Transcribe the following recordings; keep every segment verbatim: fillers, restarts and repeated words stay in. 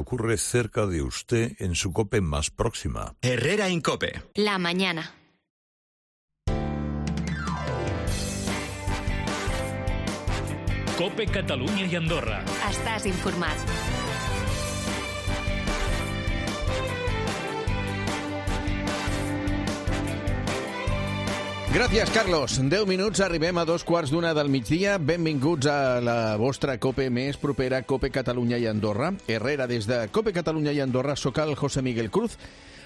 Ocurre cerca de usted en su COPE más próxima. Herrera Incope. La mañana. COPE Catalunya i Andorra. Estàs informat. Gràcies, Carlos. deu minuts, arribem a dos quarts d'una del migdia. Benvinguts a la vostra COPE més propera, COPE Catalunya i Andorra. Herrera, des de COPE Catalunya i Andorra, soc el José Miguel Cruz.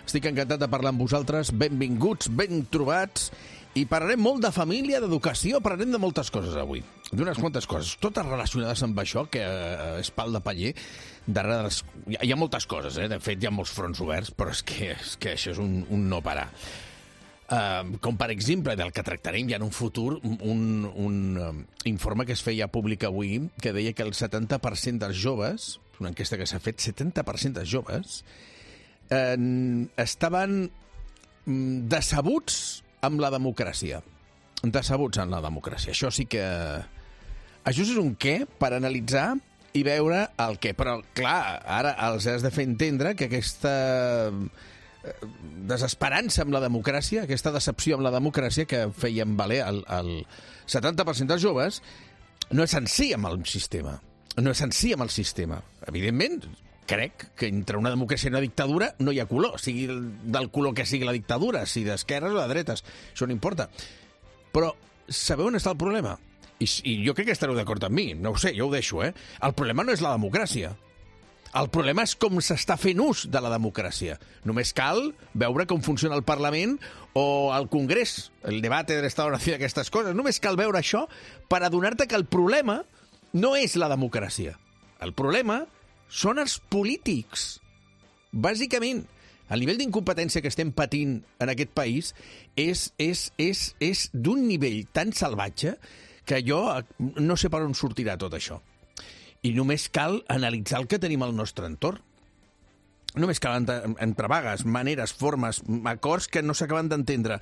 Estic encantat de parlar amb vosaltres. Benvinguts, ben trobats. I parlarem molt de família, d'educació, parlarem de moltes coses avui. D'unes quantes coses, totes relacionades amb això, que eh, és pal de paller. Darrere de les... Hi ha moltes coses, eh? De fet, hi ha molts fronts oberts, però és que, és que això és un, un no parar. Uh, com, per exemple, del que tractarem ja en un futur, un, un um, informe que es feia públic avui, que deia que el setanta per cent dels joves, una enquesta que s'ha fet, setanta per cent dels joves, uh, estaven um, decebuts amb la democràcia. Decebuts amb la democràcia. Això sí que... Això és un què per analitzar i veure el què. Però, clar, ara els has de fer entendre que aquesta desesperança amb la democràcia, aquesta decepció amb la democràcia que feien valer el, el setanta per cent dels joves, no és en si amb el sistema. No és en si amb el sistema. Evidentment, crec que entre una democràcia i una dictadura no hi ha color, sigui del color que sigui la dictadura, si d'esquerres o de dretes, això no importa. Però sabeu on està el problema? I, i jo crec que estareu d'acord amb mi, no ho sé, jo ho deixo, eh? El problema no és la democràcia. El problema és com s'està fent ús de la democràcia. Només cal veure com funciona el Parlament o el Congrés, el debat de l'Estado-Nació, aquestes coses. Només cal veure això per adonar-te que el problema no és la democràcia. El problema són els polítics. Bàsicament, el nivell d'incompetència que estem patint en aquest país és, és, és, és d'un nivell tan salvatge que jo no sé per on sortirà tot això. I només cal analitzar el que tenim al nostre entorn. Només cal entre vagues, maneres, formes, acords que no s'acaben d'entendre.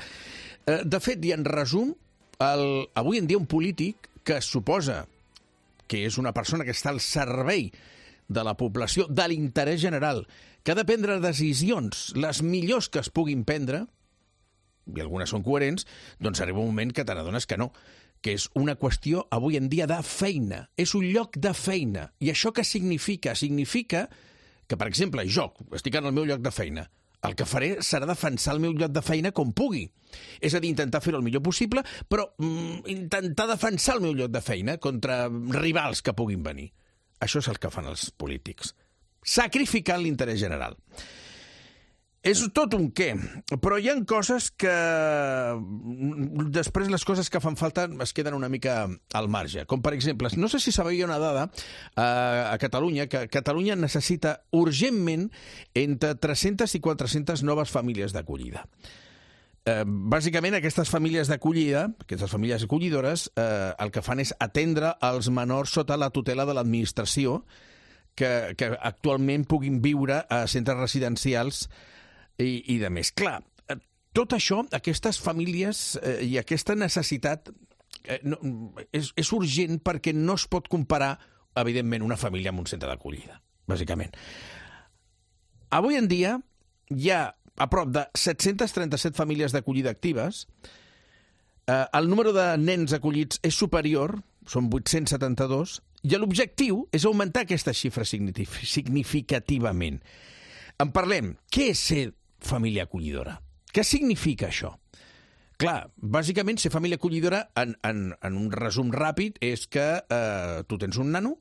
De fet, i en resum, el, avui en dia un polític que es suposa que és una persona que està al servei de la població, de l'interès general, que ha de prendre decisions, les millors que es puguin prendre, i algunes són coherents, doncs arriba un moment que te n'adones que no, que és una qüestió avui en dia de feina. És un lloc de feina. I això què significa? Significa que, per exemple, jo estic en el meu lloc de feina. El que faré serà defensar el meu lloc de feina com pugui. És a dir, intentar fer-ho el millor possible, però mm, intentar defensar el meu lloc de feina contra rivals que puguin venir. Això és el que fan els polítics. Sacrificant l'interès general. És tot un què, però hi ha coses que... Després les coses que fan falta es queden una mica al marge. Com, per exemple, no sé si sabia una dada a Catalunya, que Catalunya necessita urgentment entre tres-centes i quatre-centes noves famílies d'acollida. Eh, bàsicament, aquestes famílies d'acollida, aquestes famílies acollidores, eh, el que fan és atendre els menors sota la tutela de l'administració que, que actualment puguin viure a centres residencials I, i de més. Clar, tot això, aquestes famílies eh, i aquesta necessitat eh, no, és, és urgent perquè no es pot comparar, evidentment, una família amb un centre d'acollida, bàsicament. Avui en dia hi ha a prop de set-centes trenta-set famílies d'acollida actives. Eh, el número de nens acollits és superior, són vuit-cents setanta-dos, i l'objectiu és augmentar aquesta xifra significativament. En parlem. Què és ser família acollidora? Què significa això? Clar, bàsicament ser família acollidora, en, en, en un resum ràpid, és que eh, tu tens un nano,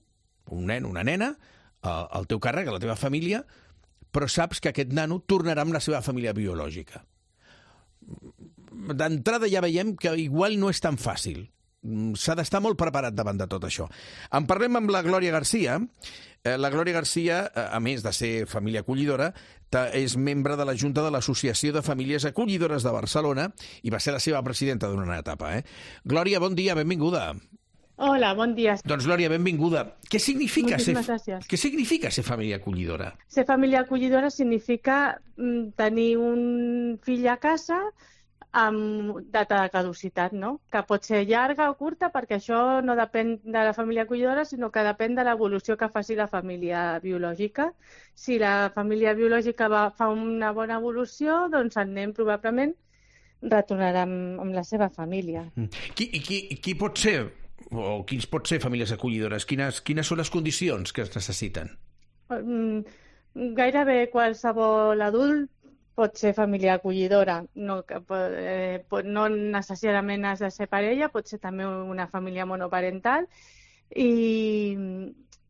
un nen, una nena, eh, el teu càrrec, la teva família, però saps que aquest nano tornarà amb la seva família biològica. D'entrada ja veiem que igual no és tan fàcil. S'ha d'estar molt preparat davant de tot això. En parlem amb la Glòria Garcia. La Glòria Garcia, a més de ser família acollidora, és membre de la Junta de l'Associació de Famílies Acollidores de Barcelona i va ser la seva presidenta durant una etapa. Eh? Glòria, bon dia, benvinguda. Hola, bon dia. Doncs, Glòria, benvinguda. Què significa, ser, gràcies. què significa ser família acollidora? Ser família acollidora significa mm, tenir un fill a casa amb data de caducitat, no? Que pot ser llarga o curta, perquè això no depèn de la família acollidora, sinó que depèn de l'evolució que faci la família biològica. Si la família biològica va, fa una bona evolució, doncs el nen probablement retornarà amb, amb la seva família. Qui, qui, qui pot ser, o quins pot ser famílies acollidores? Quines, quines són les condicions que es necessiten? Gairebé qualsevol adult pot ser família acollidora, no, eh, no necessàriament has de ser parella, pot ser també una família monoparental i,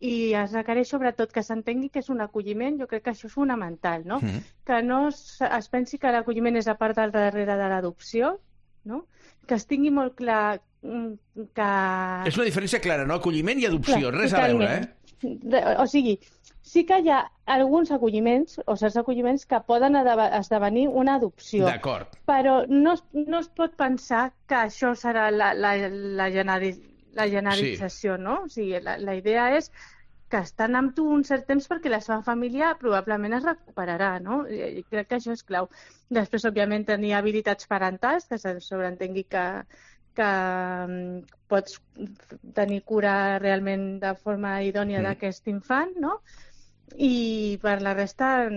i es requereix sobretot que s'entengui que és un acolliment, jo crec que això és fonamental, no? Mm. Que no es, es pensi que l'acolliment és a part del darrere de l'adopció, no? Que es tingui molt clar que... És una diferència clara, no? Acolliment i adopció, clar, res totalment. A veure, eh? O sigui, sí que hi ha alguns acolliments o certs acolliments que poden esdevenir una adopció. D'acord. Però no, no es pot pensar que això serà la, la, la, generi, la generalització, sí. No? O sigui, la, la idea és que estan amb tu un cert temps perquè la seva família probablement es recuperarà, no? I crec que això és clau. Després, òbviament, tenir habilitats parentals, que se sobreentengui que, que pots tenir cura realment de forma idònia mm. d'aquest infant, no? I per la resta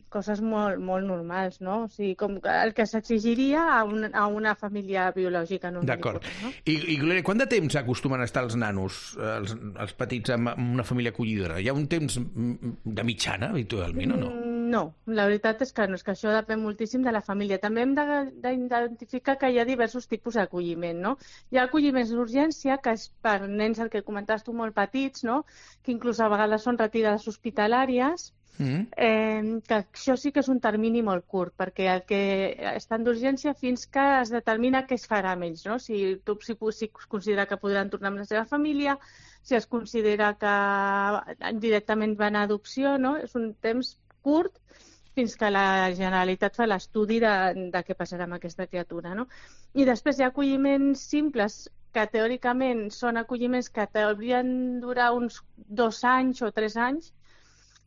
coses molt, molt normals, no? O sigui, com el que s'exigiria a, un, a una família biològica. D'acord. No? I, i Glòria, quant de temps acostumen a estar els nanos, els, els petits, en una família acollidora? Hi ha un temps de mitjana, habitualment, o no? No, la veritat és que no, és que això depèn moltíssim de la família. També hem d'identificar que hi ha diversos tipus d'acolliment, no? Hi ha acolliments d'urgència, que és per nens, el que comentaves tu, molt petits, no? Que inclús a vegades són retirades hospitalàries, mm. eh, que això sí que és un termini molt curt, perquè el que estan d'urgència fins que es determina què es farà amb ells, no? Si, si, si es considera que podran tornar amb la seva família, si es considera que directament van a adopció, no? És un temps curt fins que la Generalitat fa l'estudi de, de què passarà amb aquesta criatura, no? I després hi ha acolliments simples que teòricament són acolliments que haurien durar uns dos anys o tres anys,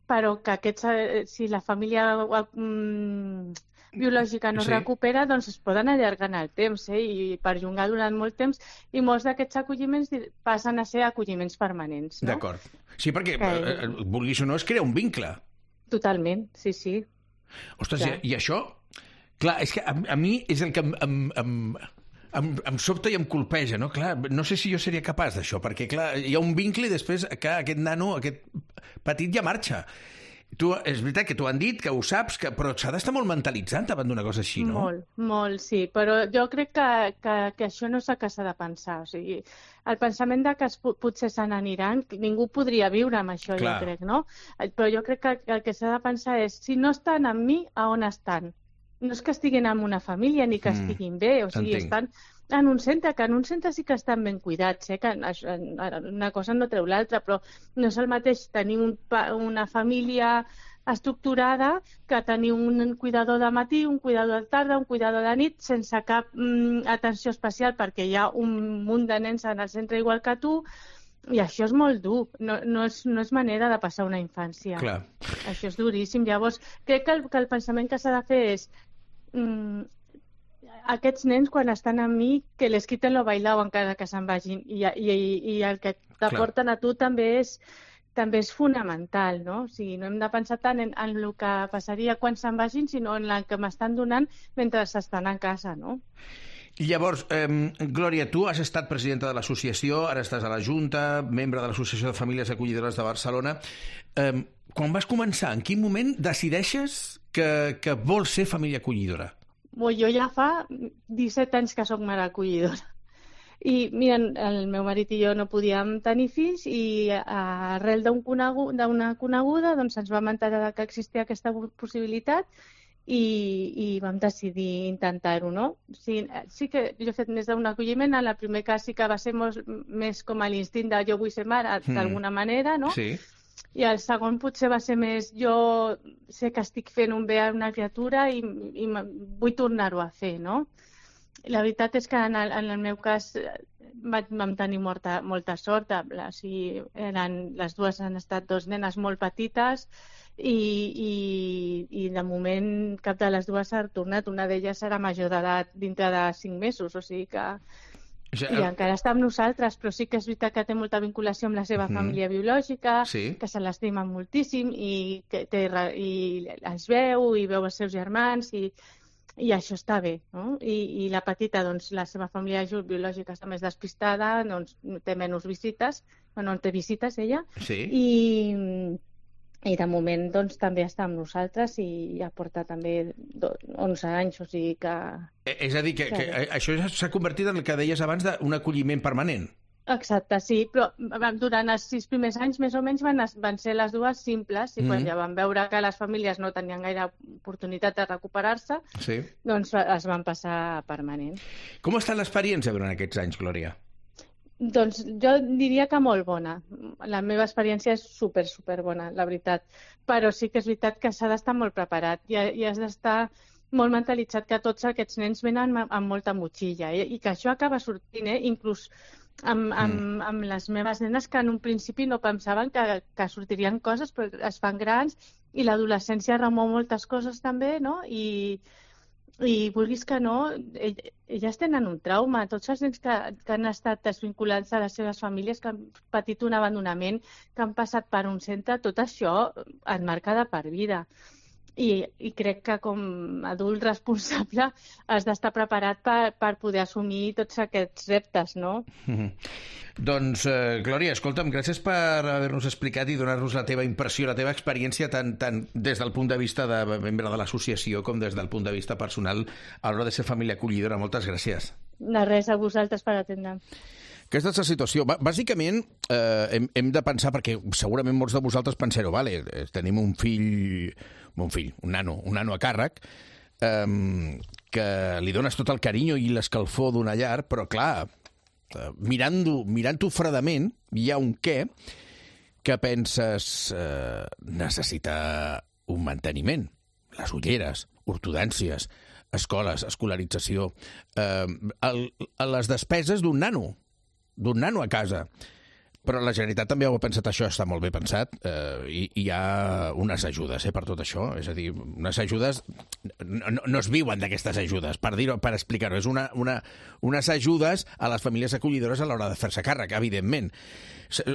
però que aquests, si la família mm, biològica no es sí. recupera, doncs es poden allargar en el temps, eh? I perllongar durant molt temps, i molts d'aquests acolliments passen a ser acolliments permanents, no? D'acord. Sí, perquè, que... eh, vulguis o no, es crea un vincle. Totalment, sí, sí. Ostres, i, i això... Clar, és que a, a mi és el que em, em, em, em, em sobta i em colpeja, no? Clar, no sé si jo seria capaç d'això, perquè, clar, hi ha un vincle i després que aquest nano, aquest petit ja marxa. Tu, és veritat que t'ho han dit, que ho saps, que, però s'ha d'estar molt mentalitzant davant d'una cosa així, no? Molt, molt, sí, però jo crec que, que, que això no és el que s'ha de pensar. O sigui, el pensament de que es, potser se n'aniran, ningú podria viure amb això, Clar. Jo crec, no? Però jo crec que el que s'ha de pensar és, si no estan amb mi, a on estan? No és que estiguin en una família ni que mm, estiguin bé, o sigui, entenc. Estan en un centre, que en un centre sí que estan ben cuidats, eh? Que una cosa no treu l'altra, però no és el mateix tenir un, una família estructurada que tenir un cuidador de matí, un cuidador de tarda, un cuidador de nit, sense cap mm, atenció especial perquè hi ha un munt de nens en el centre igual que tu, i això és molt dur, no, no, és, no és manera de passar una infància. Clar. Això és duríssim. Llavors, crec que el, que el pensament que s'ha de fer és mm, aquests nens, quan estan amb mi, que les quiten lo bailao encara que se'n vagin. I, i, i el que t'aporten a tu també és, també és fonamental, no? O sigui, no hem de pensar tant en, en el que passaria quan se'n vagin, sinó en el que m'estan donant mentre estan a casa, no? I llavors, eh, Glòria, tu has estat presidenta de l'associació, ara estàs a la Junta, membre de l'Associació de Famílies Acollidores de Barcelona. Eh, quan vas començar, en quin moment decideixes que, que vols ser família acollidora? Bueno, jo ja fa disset anys que soc mare acollidora. I, mira, el meu marit i jo no podíem tenir fills i arrel d'una coneguda, d'una coneguda doncs ens vam enterar que existia aquesta possibilitat i, i vam decidir intentar-ho, no? Sí, sí que jo he fet més d'un acolliment, en el primer cas sí que va ser molt, més com a l'instint de jo vull ser mare, mm. d'alguna manera, no? Sí. I el segon potser va ser més jo sé que estic fent un bé a una criatura i, i vull tornar-ho a fer, no? La veritat és que en el, en el meu cas vam tenir molta, molta sort. O sigui, eren, les dues han estat dos nenes molt petites i, i, i de moment cap de les dues s'ha tornat. Una d'elles serà major d'edat dintre de cinc mesos, o sigui que... Ja, I encara està amb nosaltres, però sí que és veritat que té molta vinculació amb la seva uh-huh. família biològica, sí. que se l'estima moltíssim i, que té, i es veu i veu els seus germans i, i això està bé, no? I, i la petita, doncs, la seva família biològica està més despistada, doncs, té menys visites, no té visites ella, sí. i... I de moment doncs, també està amb nosaltres i ja porta també onze anys, o sigui que... És a dir, que, que, que això s'ha convertit en el que deies abans d'un acolliment permanent. Exacte, sí, però durant els sis primers anys més o menys van, van ser les dues simples i quan mm-hmm. ja van veure que les famílies no tenien gaire oportunitat de recuperar-se, sí. doncs es van passar a permanent. Com ha estat l'experiència durant aquests anys, Glòria? Doncs jo diria que molt bona. La meva experiència és super, super bona, la veritat. Però sí que és veritat que s'ha d'estar molt preparat i, i has d'estar molt mentalitzat que tots aquests nens venen amb molta motxilla eh? I que això acaba sortint, eh? Inclús amb, amb, mm. amb les meves nenes que en un principi no pensaven que, que sortirien coses, però es fan grans i l'adolescència remou moltes coses també, no? I... I vulguis que no, elles tenen un trauma. Tots els nens que, que han estat desvinculats de les seves famílies, que han patit un abandonament, que han passat per un centre, tot això et marca de per vida. I, i crec que com a adult responsable has d'estar preparat per, per poder assumir tots aquests reptes, no? Mm-hmm. Doncs, eh, Glòria, escolta'm, gràcies per haver-nos explicat i donar-nos la teva impressió, la teva experiència, tant, tant des del punt de vista de membre de l'associació com des del punt de vista personal a l'hora de ser família acollidora. Moltes gràcies. De res, a vosaltres per atendre. Aquesta és la situació. Bàsicament, eh, hem, hem de pensar, perquè segurament molts de vosaltres penseu, vale, tenim un fill, un fill, un nano, un nano a càrrec, eh, que li dones tot el carinyo i l'escalfor d'una llar, però clar, eh, mirant-ho mirant-ho fredament, hi ha un què que penses eh, necessita un manteniment. Les ulleres, ortodòncies, escoles, escolarització, eh, el, les despeses d'un nano, d'un nano a casa. Però la Generalitat també ho ha pensat, això està molt bé pensat, eh, i hi ha unes ajudes eh, per tot això, és a dir, unes ajudes, no, no es viuen d'aquestes ajudes, per dir-ho, per explicar-ho, és una, una, unes ajudes a les famílies acollidores a l'hora de fer-se càrrec, evidentment.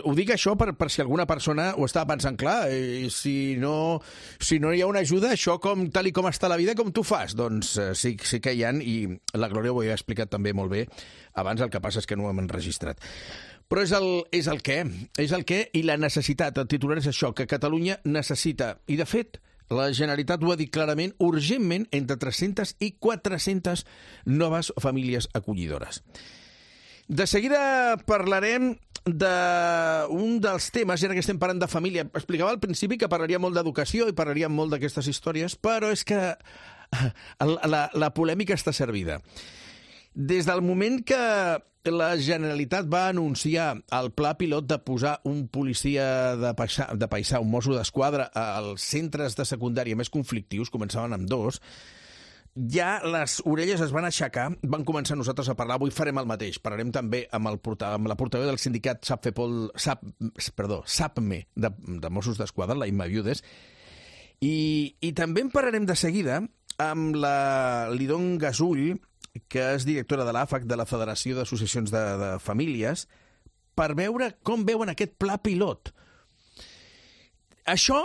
Ho dic això per, per si alguna persona ho estava pensant, clar, i si no, si no hi ha una ajuda, això com, tal i com està la vida, com tu fas? Doncs eh, sí, sí que hi ha, i la Glòria ho havia explicat també molt bé abans, el que passa és que no ho hem enregistrat. Però és el, és el què, és el què i la necessitat. El titular és això, que Catalunya necessita, i de fet, la Generalitat ho ha dit clarament, urgentment, entre tres-centes i quatre-centes noves famílies acollidores. De seguida parlarem d'un dels temes, ja que estem parlant de família. Explicava al principi que parlaria molt d'educació i parlaria molt d'aquestes històries, però és que la, la polèmica està servida. Des del moment que la Generalitat va anunciar el pla pilot de posar un policia de paisà, de paisà un mosso d'esquadra als centres de secundària més conflictius, començaven amb dos, ja les orelles es van aixecar, van començar nosaltres a parlar, avui farem el mateix, parlarem també amb, el porta, amb la portaveu del sindicat SAPFEPOL, SAP, perdó, SAPME de, de Mossos d'Esquadra, la Imma Viudes, i, i també en parlarem de seguida amb la Lidon Gasull, que és directora de l'A F A C, de la Federació d'Associacions de, de Famílies, per veure com veuen aquest pla pilot. Això,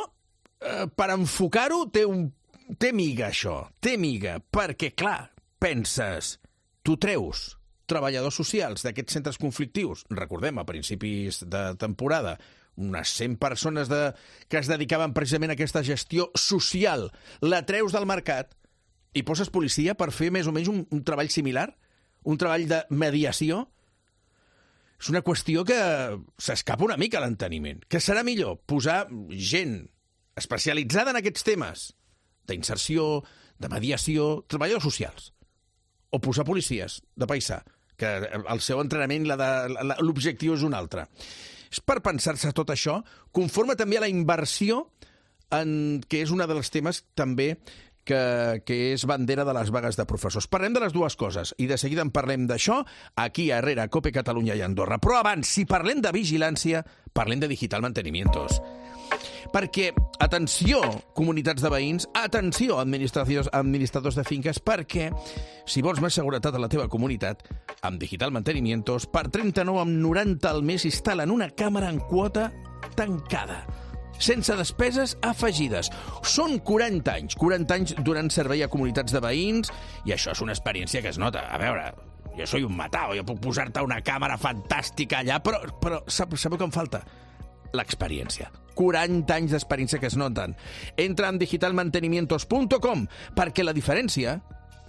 eh, per enfocar-ho, té, un, té miga, això. Té miga, perquè, clar, penses, tu treus treballadors socials d'aquests centres conflictius, recordem, a principis de temporada, unes cent persones de, que es dedicaven precisament a aquesta gestió social, la treus del mercat, i poses policia per fer més o menys un, un treball similar? Un treball de mediació? És una qüestió que s'escapa una mica a l'enteniment. Que serà millor posar gent especialitzada en aquests temes d'inserció, de mediació, treballadors socials, o posar policies de paisà, que el seu entrenament, l'objectiu és un altre. És per pensar-se tot això, conforme també a la inversió, en, que és un dels temes també que, que és bandera de les vagues de professors. Parlem de les dues coses, i de seguida en parlem d'això, aquí a Herrera, COPE, Catalunya i Andorra. Però abans, si parlem de vigilància, parlem de digital mantenimientos. Perquè, atenció, comunitats de veïns, atenció, administradors, administradors de finques, perquè si vols més seguretat a la teva comunitat, amb Digital Mantenimientos, per trenta-nou coma noranta al mes instal·len una càmera en quota tancada, sense despeses afegides. Són quaranta anys, quaranta anys donant servei a comunitats de veïns, i això és una experiència que es nota. A veure, jo soy un matao, jo puc posar-te una càmera fantàstica allà, però, però sabeu què em falta? L'experiència. quaranta anys d'experiència que es noten. Entra en digital mantenimientos punt com, perquè la diferència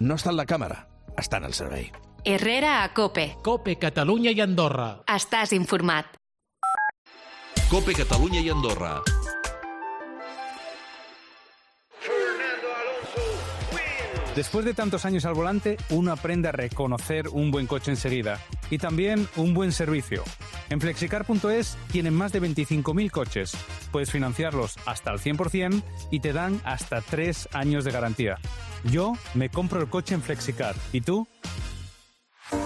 no està en la càmera, està en el servei. Herrera a COPE. COPE, Catalunya i Andorra. Estàs informat. COPE Catalunya i Andorra. Después de tantos años al volante, uno aprende a reconocer un buen coche enseguida y también un buen servicio. En flexicar punto es tienen más de veinticinco mil coches. Puedes financiarlos hasta el cien por ciento y te dan hasta tres años de garantía. Yo me compro el coche en Flexicar. ¿Y tú?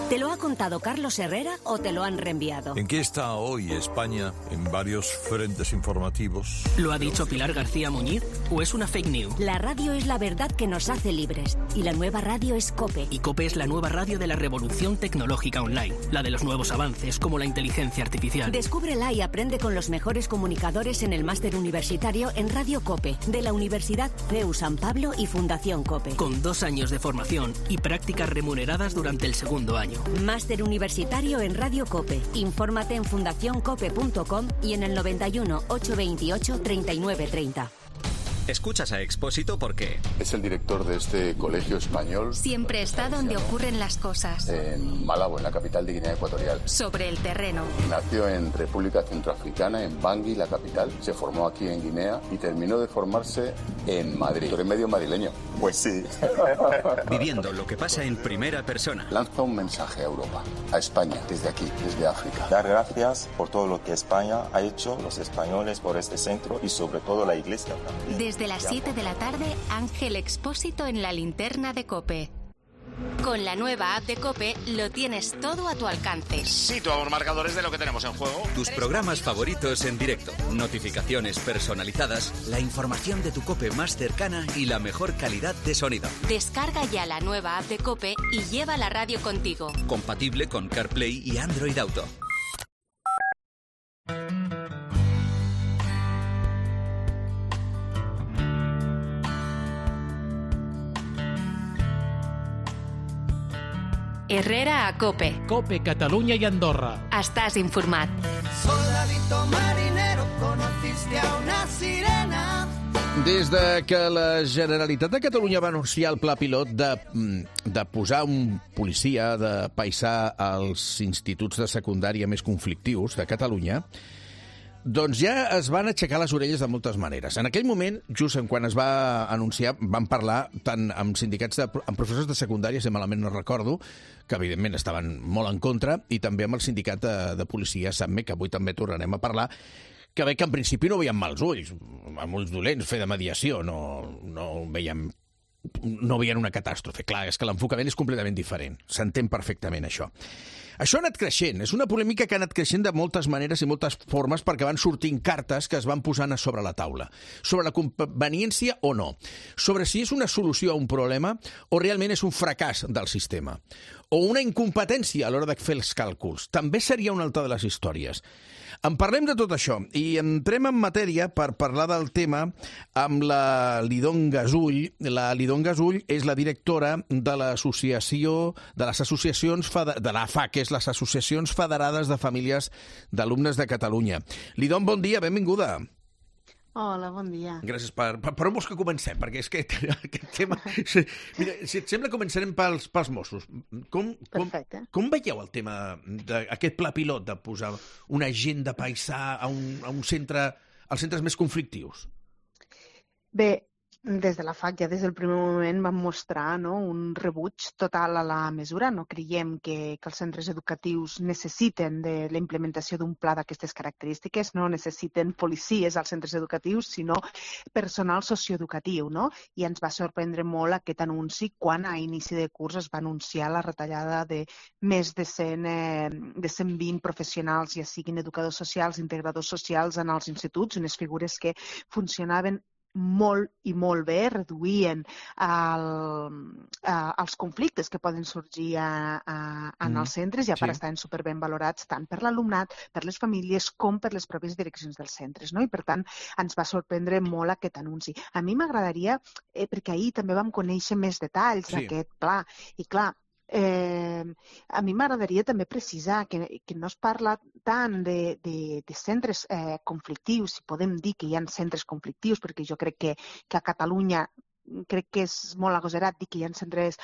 ¿Te lo ha contado Carlos Herrera o te lo han reenviado? ¿En qué está hoy España en varios frentes informativos? ¿Lo ha dicho Pilar García Muñiz o es una fake news? La radio es la verdad que nos hace libres y la nueva radio es COPE. Y COPE es la nueva radio de la revolución tecnológica online, la de los nuevos avances como la inteligencia artificial. Descúbrela y aprende con los mejores comunicadores en el máster universitario en Radio COPE, de la Universidad C E U San Pablo y Fundación COPE. Con dos años de formación y prácticas remuneradas durante el segundo año. Máster universitario en Radio COPE. Infórmate en fundación cope punto com y en el noventa y uno, ochocientos veintiocho, treinta y nueve treinta. Escuchas a Expósito porque es el director de este colegio español. Siempre está donde ocurren las cosas. En Malabo, en la capital de Guinea Ecuatorial. Sobre el terreno. Nació en República Centroafricana, en Bangui, la capital. Se formó aquí en Guinea y terminó de formarse en Madrid. ¿Tú eres medio madrileño? Pues sí. Viviendo lo que pasa en primera persona. Lanza un mensaje a Europa, a España, desde aquí, desde África. Dar gracias por todo lo que España ha hecho, los españoles, por este centro y sobre todo la Iglesia. Desde las siete de la tarde, Ángel Expósito en la linterna de COPE. Con la nueva app de COPE lo tienes todo a tu alcance. Situamos marcadores de lo que tenemos en juego. Tus programas favoritos en directo, notificaciones personalizadas, la información de tu COPE más cercana y la mejor calidad de sonido. Descarga ya la nueva app de COPE y lleva la radio contigo. Compatible con CarPlay y Android Auto. Herrera a COPE. COPE, Catalunya i Andorra. Estàs informat. Soldadito marinero, conociste a una sirena. Des de que la Generalitat de Catalunya va anunciar el pla pilot de, de posar un policia de paisà als instituts de secundària més conflictius de Catalunya, doncs ja es van aixecar les orelles de moltes maneres. En aquell moment, just quan es va anunciar, van parlar tant amb sindicats, de, amb professors de secundària, si malament no recordo, que evidentment estaven molt en contra, i també amb el sindicat de, de policia, SAMME, que avui també tornarem a parlar, que veig que en principi no veiem mals ulls, amb ulls dolents, fer de mediació, no, no veiem no veien una catàstrofe. Clar, és que l'enfocament és completament diferent. S'entén perfectament, això. Això ha anat creixent. És una polèmica que ha anat creixent de moltes maneres i moltes formes perquè van sortint cartes que es van posant a sobre la taula. Sobre la conveniència o no. Sobre si és una solució a un problema o realment és un fracàs del sistema. O una incompetència a l'hora de fer els càlculs. També seria una altra de les històries. En parlem de tot això i entrem en matèria per parlar del tema amb la Lidon Gasull. La Lidon Gasull és la directora de l'associació de les associacions de l'A F A, que és les Associacions Federades de Famílies d'Alumnes de Catalunya. Lidon, bon dia, benvinguda. Hola, bon dia. Gràcies. Per, per, per on vols que comencem? Perquè és que aquest tema... Mira, si et sembla, començarem pels, pels Mossos. Com, com, com veieu el tema d'aquest pla pilot de posar un agent de paisà a un, a un centre, als centres més conflictius? Bé, Des de la F A C ja des del primer moment vam mostrar no, un rebuig total a la mesura. No creiem que, que els centres educatius necessiten de la implementació d'un pla d'aquestes característiques, no necessiten policies als centres educatius, sinó personal socioeducatiu. No? I ens va sorprendre molt aquest anunci quan a inici de curs es va anunciar la retallada de més de cent, eh, de cent vint professionals, ja siguin educadors socials, integradors socials en els instituts, unes figures que funcionaven molt i molt bé, reduïen el, eh, els conflictes que poden sorgir a, a, en mm, els centres i a part sí. Estaven superben valorats tant per l'alumnat, per les famílies, com per les pròpies direccions dels centres. No? I per tant ens va sorprendre molt aquest anunci. A mi m'agradaria, eh, perquè ahir també vam conèixer més detalls sí. d'aquest pla, i clar, Eh, a mi m'agradaria també precisar que, que no es parla tant de, de, de centres eh, conflictius, si podem dir que hi ha centres conflictius, perquè jo crec que, que a Catalunya crec que és molt agosarat dir que hi ha centres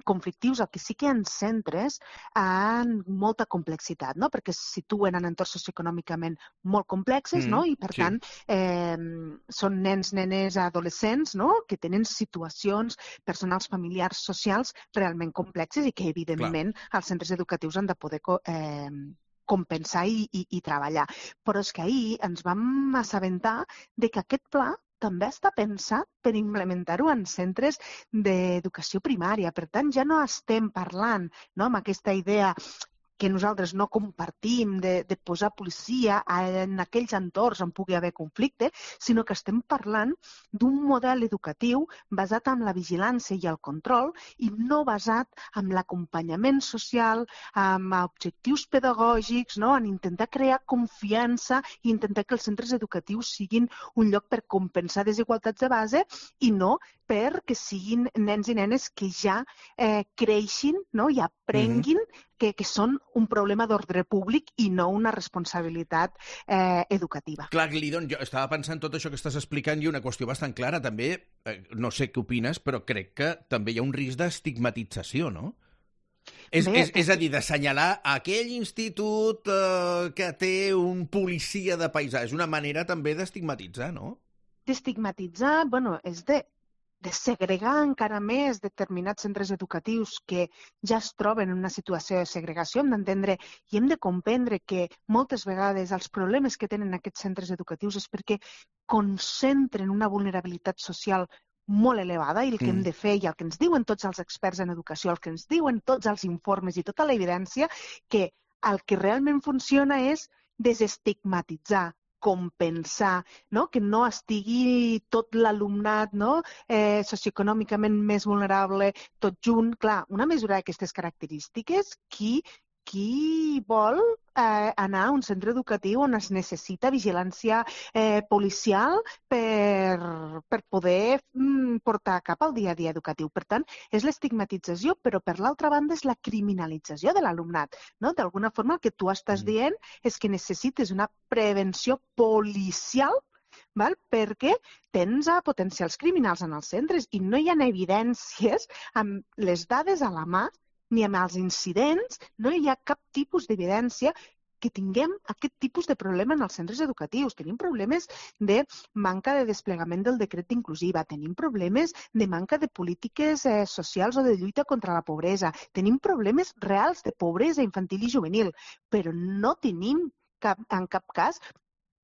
conflictius, el que sí que hi ha centres amb molta complexitat, no? Perquè se situen en entorns socioeconòmicament molt complexes, mm, no? I per sí. tant eh, són nens, nenes, adolescents, no? Que tenen situacions personals, familiars, socials realment complexes i que evidentment Clar. Els centres educatius han de poder eh, compensar i, i, i treballar. Però és que ahir ens vam assabentar de que aquest pla també està pensat per implementar-ho en centres d'educació primària. Per tant, ja no estem parlant no, amb aquesta idea que nosaltres no compartim de, de posar policia en aquells entorns on pugui haver conflicte, sinó que estem parlant d'un model educatiu basat en la vigilància i el control i no basat en l'acompanyament social, en objectius pedagògics, no? En intentar crear confiança i intentar que els centres educatius siguin un lloc per compensar desigualtats de base i no perquè siguin nens i nenes que ja eh, creixin no? I aprenguin mm-hmm. que, que són un problema d'ordre públic i no una responsabilitat eh, educativa. Clar, Lidon, jo estava pensant tot això que estàs explicant i una qüestió bastant clara també, eh, no sé què opines, però crec que també hi ha un risc d'estigmatització, no? És, Bé, és, és a dir, d'assenyalar aquell institut eh, que té un policia de paisà. És una manera també d'estigmatitzar, no? D'estigmatitzar, bueno, és de de segregar encara més determinats centres educatius que ja es troben en una situació de segregació. Hem d'entendre i hem de comprendre que moltes vegades els problemes que tenen aquests centres educatius és perquè concentren una vulnerabilitat social molt elevada i el que mm. hem de fer i el que ens diuen tots els experts en educació, el que ens diuen tots els informes i tota la evidència, que el que realment funciona és desestigmatitzar, compensar, no? Que no estigui tot l'alumnat no? eh, socioeconòmicament més vulnerable, tot junt. Clar, una mesura d'aquestes característiques, qui, qui vol eh, anar a un centre educatiu on es necessita vigilància eh, policial per, per poder mm, portar a cap al dia a dia educatiu. Per tant, és l'estigmatització, però per l'altra banda és la criminalització de l'alumnat. No? D'alguna forma, el que tu estàs dient és que necessites una prevenció policial val? Perquè tens a potencials criminals en els centres i no hi ha evidències amb les dades a la mà ni amb els incidents, no hi ha cap tipus d'evidència que tinguem aquest tipus de problema en els centres educatius. Tenim problemes de manca de desplegament del decret d'inclusiva, tenim problemes de manca de polítiques eh, socials o de lluita contra la pobresa, tenim problemes reals de pobresa infantil i juvenil, però no tenim cap, en cap cas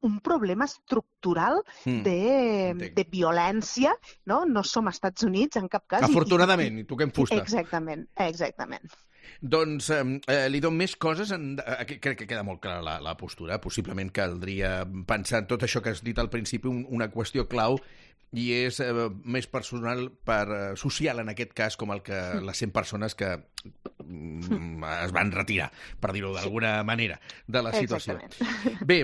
un problema estructural mm. de, de violència, no? No som als Estats Units en cap cas. Afortunadament, i, i toquem fusta. Exactament, exactament. Doncs eh, li dono més coses. En... Crec que queda molt clara la, la postura. Possiblement caldria pensar en tot això que has dit al principi, un, una qüestió clau, i és eh, més personal, per, eh, social en aquest cas, com el que mm. les cent persones que mm, es van retirar, per dir-ho d'alguna sí. manera, de la situació. Exactament. Bé,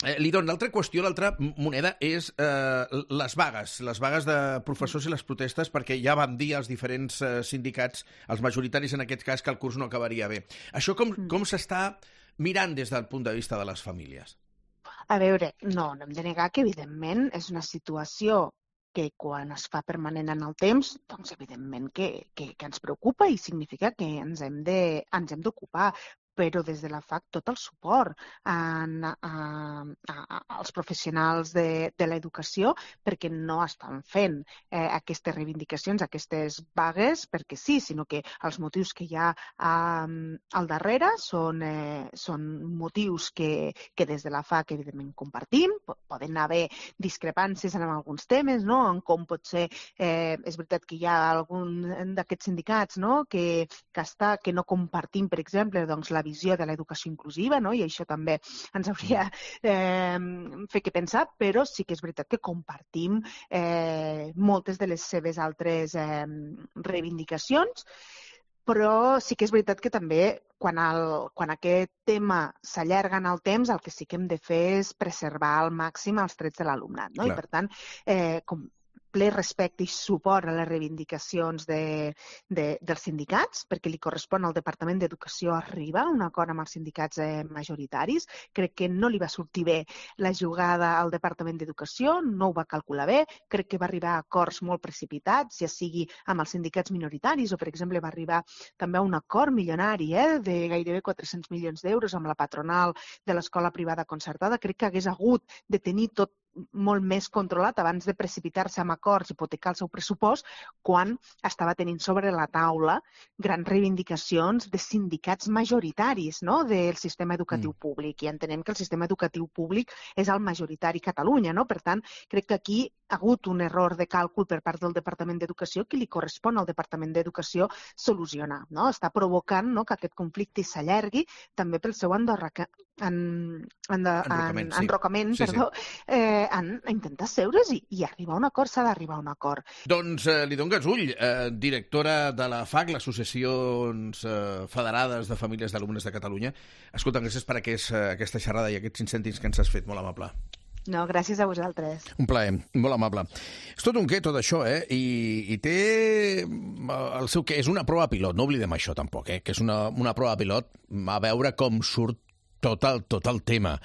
Eh, Lidon, l'altra qüestió, l'altra moneda és eh, les vagues, les vagues de professors i les protestes, perquè ja vam dir als diferents eh, sindicats, els majoritaris en aquest cas, que el curs no acabaria bé. Això com, com s'està mirant des del punt de vista de les famílies? A veure, no, no hem de negar que evidentment és una situació que quan es fa permanent en el temps, doncs evidentment que, que, que ens preocupa i significa que ens hem de, ens hem d'ocupar. però des de la F A C tot el suport a, a, a, als professionals de, de l'educació, perquè no estan fent eh, aquestes reivindicacions, aquestes vagues, perquè sí, sinó que els motius que hi ha eh, al darrere són, eh, són motius que, que des de la F A C evidentment compartim. Poden haver discrepàncies en alguns temes, no? En com pot ser, eh, és veritat que hi ha algun d'aquests sindicats, no? que, que, està, que no compartim, per exemple, doncs, la visió de l'educació inclusiva, no? I això també ens hauria eh, fet que pensar, però sí que és veritat que compartim eh, moltes de les seves altres eh, reivindicacions, però sí que és veritat que també quan, el, quan aquest tema s'allarga en el temps, el que sí que hem de fer és preservar al màxim els drets de l'alumnat, no? I per tant, eh, com ple respecte i suport a les reivindicacions de, de, dels sindicats, perquè li correspon al Departament d'Educació arribar a un acord amb els sindicats eh, majoritaris. Crec que no li va sortir bé la jugada al Departament d'Educació, no ho va calcular bé, crec que va arribar a acords molt precipitats, ja sigui amb els sindicats minoritaris o, per exemple, va arribar també a un acord milionari eh, de gairebé quatre-cents milions d'euros amb la patronal de l'escola privada concertada. Crec que hagués hagut de tenir tot molt més controlat abans de precipitar-se amb acords i hipotecar el seu pressupost quan estava tenint sobre la taula grans reivindicacions de sindicats majoritaris, no? Del sistema educatiu mm. públic. I entenem que el sistema educatiu públic és el majoritari a Catalunya, no? Per tant, crec que aquí ha hagut un error de càlcul per part del Departament d'Educació que li correspon al Departament d'Educació solucionar, no? Està provocant, no?, que aquest conflicte s'allargui també pel seu endorraca, en, en, enrocament, en, sí. enrocament sí, perdó, sí. Eh, en, a intentar seure's i, i arribar a un acord. S'ha d'arribar a un acord. Doncs eh, li dono gasull, eh, directora de la F A C, l'Associació eh, Federades de Famílies d'Alumnes de Catalunya. Escolta, gràcies per aquest, aquesta xerrada i aquests cinc cèntims que ens has fet, molt amable. No, gràcies a vosaltres. Un plaer, molt amable. És tot un què, tot això, eh? I, i té el seu què. És una prova pilot, no oblidem això tampoc, eh? Que és una, una prova pilot a veure com surt tot el, tot el tema.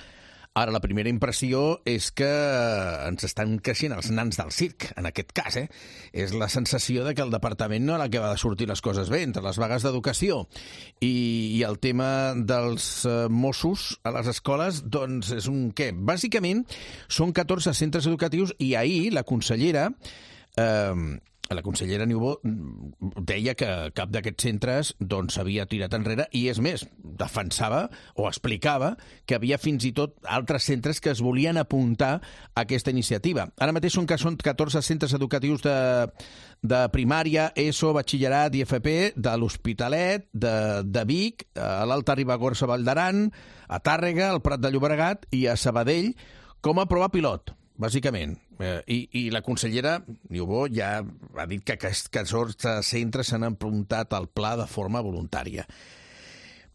Ara, la primera impressió és que ens estan creixent els nans del circ, en aquest cas, eh? És la sensació de que el departament no era que va de sortir les coses bé, entre les vagues d'educació i, i el tema dels eh, Mossos a les escoles, doncs és un què? Bàsicament, són catorze centres educatius i ahir la consellera... Eh, La consellera Niubó deia que cap d'aquests centres doncs s'havia tirat enrere i, és més, defensava o explicava que havia fins i tot altres centres que es volien apuntar a aquesta iniciativa. Ara mateix són que són catorze centres educatius de, de primària, ESO, batxillerat i F P, de l'Hospitalet, de, de Vic, a l'Alta Ribagorça Vall d'Aran, a Tàrrega, al Prat de Llobregat i a Sabadell com a prova pilot, bàsicament. Eh, i, I la consellera Niubó ja ha dit que aquests catorze centres s'han apuntat al pla de forma voluntària.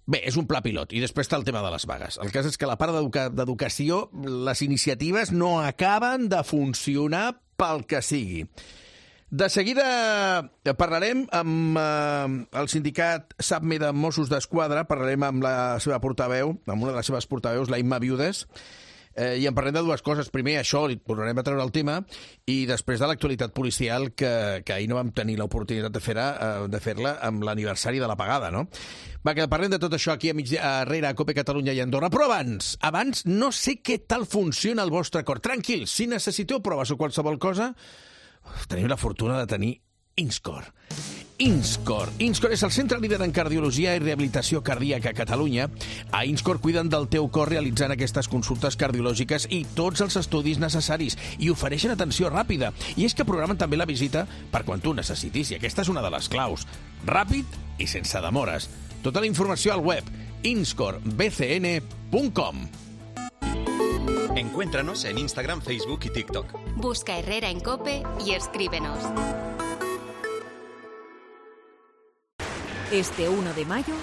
Bé, és un pla pilot. I després està el tema de les vagues. El cas és que a la part d'educació les iniciatives no acaben de funcionar pel que sigui. De seguida parlarem amb eh, el sindicat SAPME de Mossos d'Esquadra, parlarem amb la seva portaveu, amb una de les seves portaveus, la Imma Viudes, Eh, i en parlem de dues coses. Primer, això, li tornarem a treure el tema, i després de l'actualitat policial, que, que ahir no vam tenir l'oportunitat de fer-la eh, de fer-la amb l'aniversari de l'apagada, no? Va, que parlem de tot això aquí a migdia, darrere a Cope Catalunya i Andorra. Però abans, abans, no sé què tal funciona el vostre cor. Tranquils, si necessiteu proves o qualsevol cosa, tenim la fortuna de tenir Inscor. Inscor. Inscor és el centre líder en cardiologia i rehabilitació cardíaca a Catalunya. A Inscor cuiden del teu cor realitzant aquestes consultes cardiològiques i tots els estudis necessaris i ofereixen atenció ràpida. I és que programen també la visita per quan tu necessitis, i aquesta és una de les claus. Ràpid i sense demores. Tota la informació al web inscor b c n punt com. Encuéntranos en Instagram, Facebook y TikTok. Busca Herrera en Cope y escríbenos. Este uno de mayo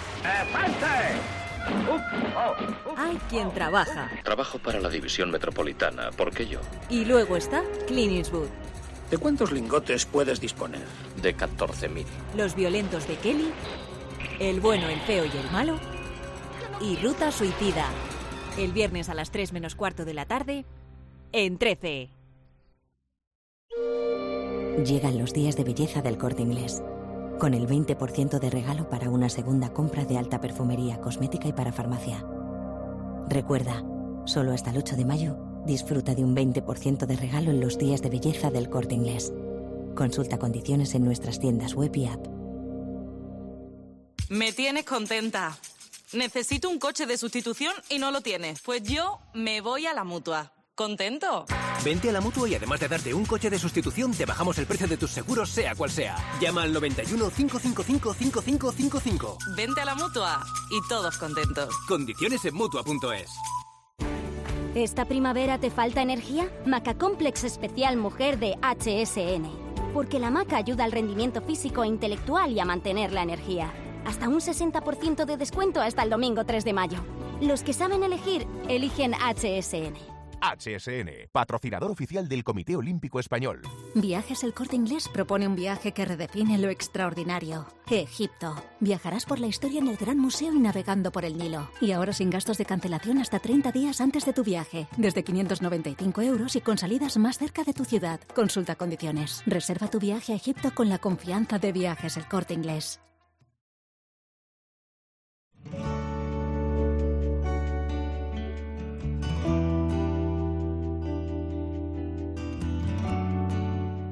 hay quien trabaja. Trabajo para la división metropolitana. ¿Por qué yo? Y luego está Clint Eastwood. ¿De cuántos lingotes puedes disponer? De catorce mil. Los violentos de Kelly, El bueno, el feo y el malo y Ruta Suicida. El viernes a las tres menos cuarto de la tarde en trece. Llegan los días de belleza del Corte Inglés. con el veinte por ciento de regalo para una segunda compra de alta perfumería, cosmética y para farmacia. Recuerda, solo hasta el ocho de mayo, disfruta de un veinte por ciento de regalo en los días de belleza del Corte Inglés. Consulta condiciones en nuestras tiendas web y app. Me tienes contenta. Necesito un coche de sustitución y no lo tienes. Pues yo me voy a la Mutua. ¿Contento? Vente a la Mutua y además de darte un coche de sustitución, te bajamos el precio de tus seguros, sea cual sea. Llama al noventa y uno, cinco cinco cinco, cinco cinco cinco cinco. Vente a la Mutua y todos contentos. Condiciones en Mutua punto es. ¿Esta primavera te falta energía? Maca Complex Especial Mujer de H S N. Porque la maca ayuda al rendimiento físico e intelectual y a mantener la energía. Hasta un sesenta por ciento de descuento hasta el domingo tres de mayo. Los que saben elegir, eligen H S N. H S N, patrocinador oficial del Comité Olímpico Español. Viajes El Corte Inglés propone un viaje que redefine lo extraordinario. Egipto. Viajarás por la historia en el Gran Museo y navegando por el Nilo. Y ahora sin gastos de cancelación hasta treinta días antes de tu viaje. Desde quinientos noventa y cinco euros y con salidas más cerca de tu ciudad. Consulta condiciones. Reserva tu viaje a Egipto con la confianza de Viajes El Corte Inglés.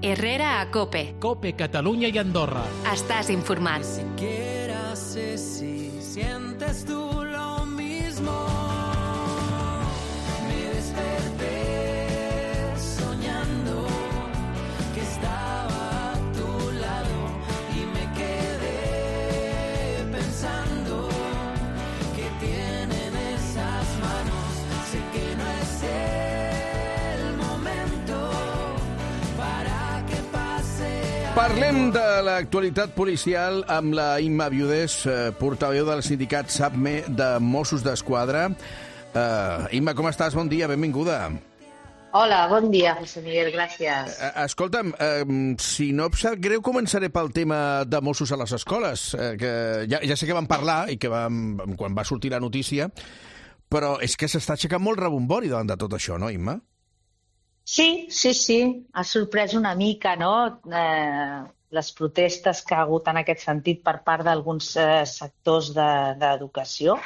Herrera a COPE. COPE, Catalunya i Andorra. Estàs informat. Ni siquiera sé si sientes tú lo mismo. Me desperté soñando que estaba a tu lado y me quedé pensando que tienen esas manos. Sé que no es el momento para Parlem de l'actualitat policial amb la Imma Viudés, eh, portaveu del sindicat SAPME de Mossos d'Esquadra. Uh, Imma, com estàs? Bon dia, benvinguda. Hola, bon dia, José Miguel, gràcies. Uh, escolta'm, uh, si no et sap greu, començaré pel tema de Mossos a les escoles, uh, que ja, ja sé que vam parlar i que vam, quan va sortir la notícia, però és que s'està aixecant molt rebombori davant de tot això, no, Imma? Sí, sí, sí. Ha sorprès una mica, no?, eh, les protestes que ha hagut en aquest sentit per part d'alguns eh, sectors d'educació. De,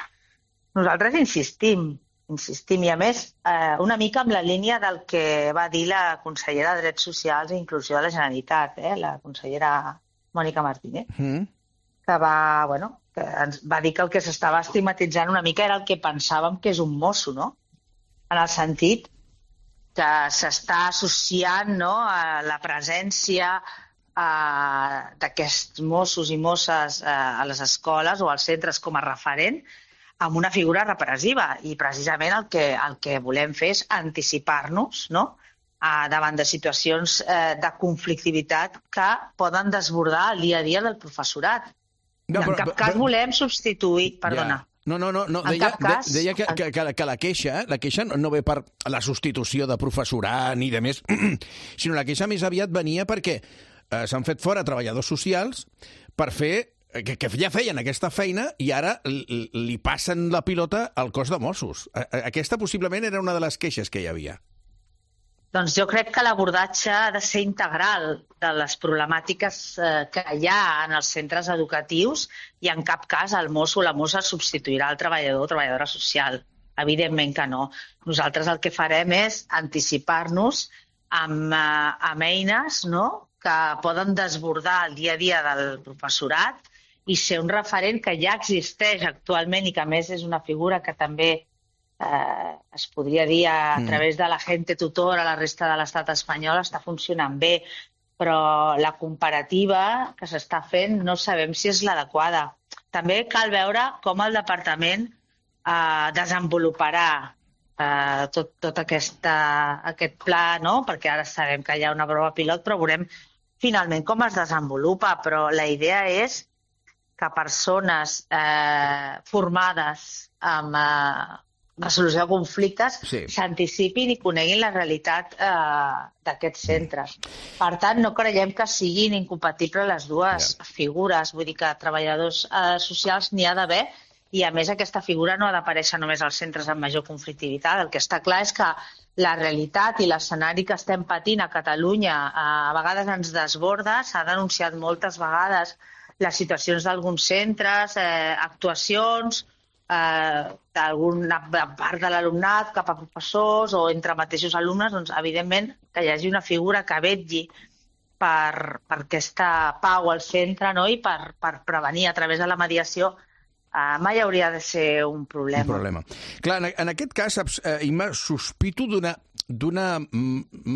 Nosaltres insistim, insistim, i a més eh, una mica amb la línia del que va dir la consellera de Drets Socials i Inclusió de la Generalitat, eh, la consellera Mònica Martínez, mm. que va, bueno, que ens va dir que el que s'estava estigmatitzant una mica era el que pensàvem que és un mosso, no?, en el sentit que s'està associant, no, a la presència eh, d'aquests Mossos i Mosses eh, a les escoles o als centres com a referent amb una figura repressiva. I precisament el que, el que volem fer és anticipar-nos, no?, eh, davant de situacions eh, de conflictivitat que poden desbordar el dia a dia del professorat. No, però, en cap cas però, volem substituir... Perdona. Ja. No, no, no, no. Deia, cas, de, deia que, que, que, que la queixa, la queixa no ve per la substitució de professorat ni de més, sinó la queixa més aviat venia perquè eh, s'han fet fora treballadors socials per fer, que, que ja feien aquesta feina i ara li, li passen la pilota al cos de Mossos. Aquesta possiblement era una de les queixes que hi havia. Doncs jo crec que l'abordatge ha de ser integral de les problemàtiques eh, que hi ha en els centres educatius i en cap cas el mosso o la mossa substituirà el treballador o treballadora social. Evidentment que no. Nosaltres el que farem és anticipar-nos amb, eh, amb eines, no?, que poden desbordar el dia a dia del professorat i ser un referent que ja existeix actualment i que a més és una figura que també Eh, es podria dir a, a través de la gente tutor a la resta de l'estat espanyol està funcionant bé, però la comparativa que s'està fent no sabem si és l'adequada. També cal veure com el departament eh, desenvoluparà eh, tot, tot aquesta, aquest pla, no?, perquè ara sabem que hi ha una prova pilot, però veurem finalment com es desenvolupa. Però la idea és que persones eh, formades amb eh, resolució de conflictes s'anticipin i coneguin la realitat eh, d'aquests centres. Per tant, no creiem que siguin incompatibles les dues yeah. figures. Vull dir que treballadors eh, socials n'hi ha d'haver i, a més, aquesta figura no ha d'aparèixer només als centres amb major conflictivitat. El que està clar és que la realitat i l'escenari que estem patint a Catalunya eh, a vegades ens desborda, s'ha denunciat moltes vegades les situacions d'alguns centres, eh, actuacions, eh, d'alguna part de l'alumnat cap a professors o entre mateixos alumnes, doncs, evidentment, que hi hagi una figura que vetlli per, per aquesta pau al centre, no? I per, per prevenir a través de la mediació, eh, mai hauria de ser un problema. Un problema. Clar, en, en aquest cas, saps, eh, Imma, sospito d'una d'una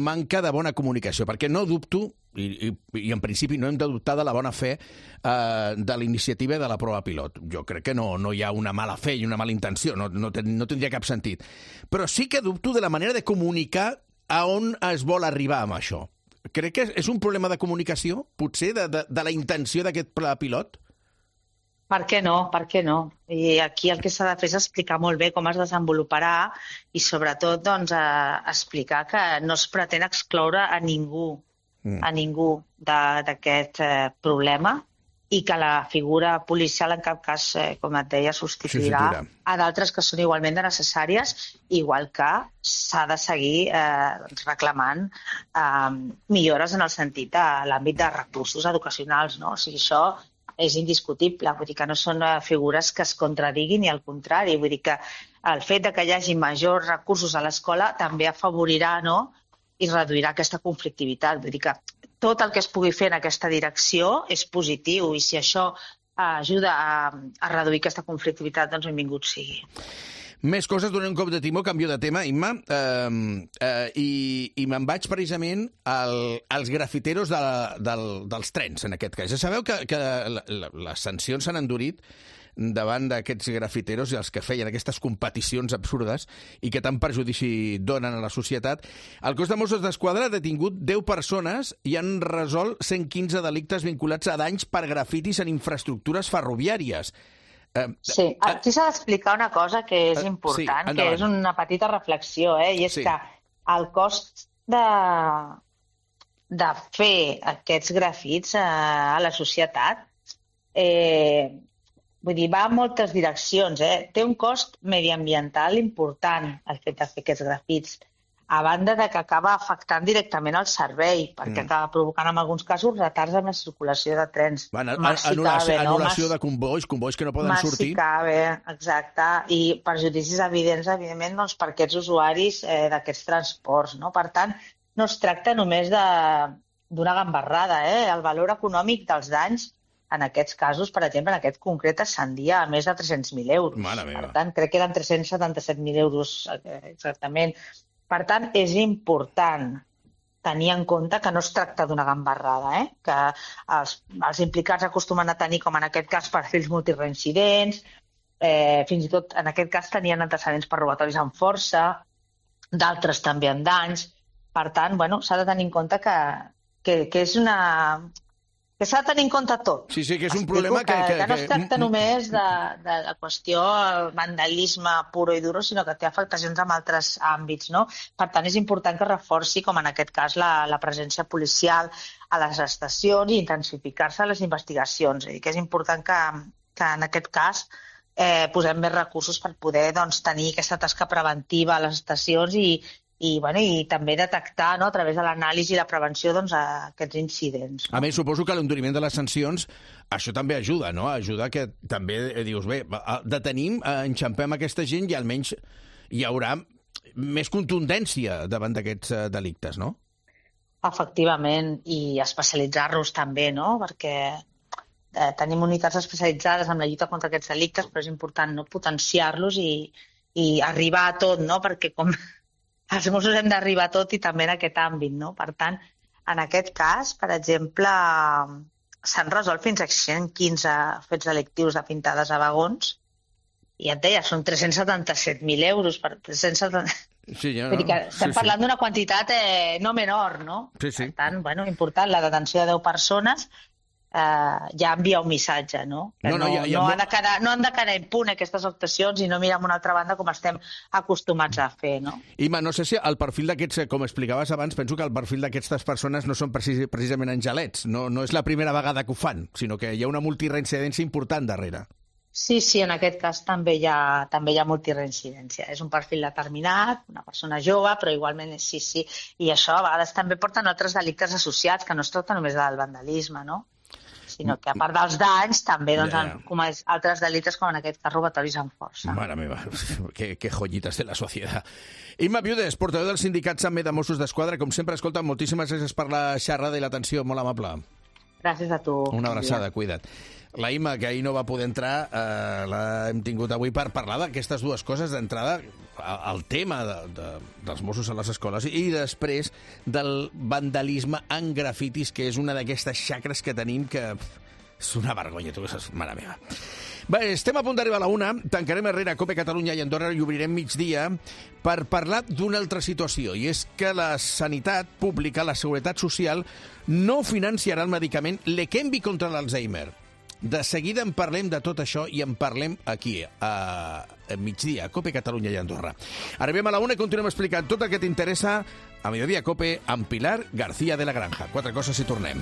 manca de bona comunicació, perquè no dubto, i, i, i en principi no hem de dubtar de la bona fe eh, de la iniciativa de la prova pilot. Jo crec que no, no hi ha una mala fe i una mala intenció, no, no, ten, no tindria cap sentit. Però sí que dubto de la manera de comunicar a on es vol arribar amb això. Crec que és un problema de comunicació, potser, de, de, de la intenció d'aquest pla pilot? Per què no? Per què no? I aquí el que s'ha de fer és explicar molt bé com es desenvoluparà i, sobretot, doncs, eh, explicar que no es pretén excloure a ningú, mm. a ningú d'aquest eh, problema i que la figura policial, en cap cas, eh, com et deia, substituirà sí, a d'altres que són igualment de necessàries, igual que s'ha de seguir eh, reclamant eh, millores en el sentit de l'àmbit de recursos educacionals, no? O sigui, això és indiscutible, vull dir que no són figures que es contradiguin ni al contrari, vull dir que el fet de que hi hagi majors recursos a l'escola també afavorirà, no?, i reduirà aquesta conflictivitat. Vull dir que tot el que es pugui fer en aquesta direcció és positiu i si això ajuda a, a reduir aquesta conflictivitat, doncs benvingut sigui. Més coses, donem un cop de timó, canvio de tema, Imma, eh, eh, i, i me'n vaig precisament al, als grafiteros de, del, dels trens, en aquest cas. Ja sabeu que, que la, la, les sancions s'han endurit davant d'aquests grafiteros i els que feien aquestes competicions absurdes i que tant perjudici donen a la societat. El cos de Mossos d'Esquadra ha detingut deu persones i han resolt cent quinze delictes vinculats a danys per grafitis en infraestructures ferroviàries. Sí, aquí s'ha d'explicar una cosa que és important, sí, que és una petita reflexió, eh? I és sí. que el cost de, de fer aquests grafits a la societat eh, vull dir, va en moltes direccions. Eh? Té un cost mediambiental important el fet de fer aquests grafits, a banda de que acaba afectant directament el servei, perquè mm. acaba provocant en alguns casos retards en la circulació de trens. Bueno, anul·lació, anul·lació no? de convois, convois que no poden Massi sortir. Cabe, exacte, i perjudicis evidents, evidentment, doncs, per aquests usuaris eh, d'aquests transports. No? Per tant, no es tracta només d'una gambarrada. Eh? El valor econòmic dels danys, en aquests casos, per exemple, en aquest concret, ascendia a més de tres-cents mil euros. Mare meva. Per tant, crec que eren tres-cents setanta-set mil euros exactament. Per tant, és important tenir en compte que no es tracta d'una gambarrada, eh? que els, els implicats acostumen a tenir, com en aquest cas, perfils multireincidents, eh, fins i tot en aquest cas tenien antecedents per robatoris amb força, d'altres també amb danys. Per tant, bueno, s'ha de tenir en compte que, que, que és una... que s'ha de tenir en compte tot. Sí, sí, que és un problema que... Que, que, que no es tracta només de, de la qüestió vandalisme puro i duro, sinó que té afectacions en altres àmbits, no? Per tant, és important que reforci, com en aquest cas, la, la presència policial a les estacions i intensificar-se les investigacions. És a dir, que és important que, que en aquest cas eh, posem més recursos per poder doncs, tenir aquesta tasca preventiva a les estacions i, i, bueno, i també detectar, no, a través de l'anàlisi i la prevenció doncs, aquests incidents. No? A més, suposo que l'enduriment de les sancions, això també ajuda, no? Ajuda que també dius, bé, detenim, enxampem aquesta gent i almenys hi haurà més contundència davant d'aquests delictes, no? Efectivament, i especialitzar-los també, no? Perquè eh, tenim unitats especialitzades en la lluita contra aquests delictes, però és important no potenciar-los i, i arribar a tot, no? Perquè com... els Mossos hem d'arribar a tot i també en aquest àmbit, no? Per tant, en aquest cas, per exemple, s'han resolt fins a cent quinze fets delictius de pintades a vagons i et deia, són tres-cents setanta-set mil euros. Per tres-cents setanta... Sí, ja, no? Vull dir que estem sí, parlant sí. d'una quantitat eh, no menor, no? Sí, sí. Per tant, bueno, important, la detenció de deu persones eh, ja envia un missatge, no? Que no, no, no, ja, ja, no, ha de quedar, no han de quedar impune aquestes actuacions i no mirar a una altra banda com estem acostumats a fer, no? Ima, no sé si el perfil d'aquests, com explicaves abans, penso que el perfil d'aquestes persones no són precis, precisament angelets. No, no és la primera vegada que ho fan, sinó que hi ha una multireincidència important darrere. Sí, sí, en aquest cas també hi ha, també hi ha multireincidència. És un perfil determinat, una persona jove, però igualment sí, sí. I això a vegades també porten altres delictes associats, que no es tracta només del vandalisme, no? sinó que a part dels danys també doncs, Ja. han comès altres delictes com en aquest cas robatoris amb força. Mare meva, que, que joyitas de la societat. Imma Viudes, portaveu del sindicat S A M E de Mossos d'Esquadra, com sempre, escolta, moltíssimes gràcies per la xerrada i l'atenció, molt amable. Gràcies a tu. Una abraçada, cuida't. La Imma, que ahir no va poder entrar, eh, l'hem tingut avui per parlar d'aquestes dues coses. D'entrada, el tema de, de, dels Mossos a les escoles i després del vandalisme en grafitis, que és una d'aquestes xacres que tenim que és una vergonya, tu que saps, mare meva. Bé, estem a punt d'arribar a la una, tancarem Herrera, COPE Catalunya i Andorra i obrirem migdia per parlar d'una altra situació, i és que la sanitat pública, la seguretat social, no financiarà el medicament Leqembi contra l'Alzheimer. De seguida en parlem de tot això i en parlem aquí, a migdia, a COPE Catalunya i Andorra. Arribem a la una i continuem explicant tot el que t'interessa a Mediodía COPE amb Pilar García de la Granja. Quatre coses i tornem.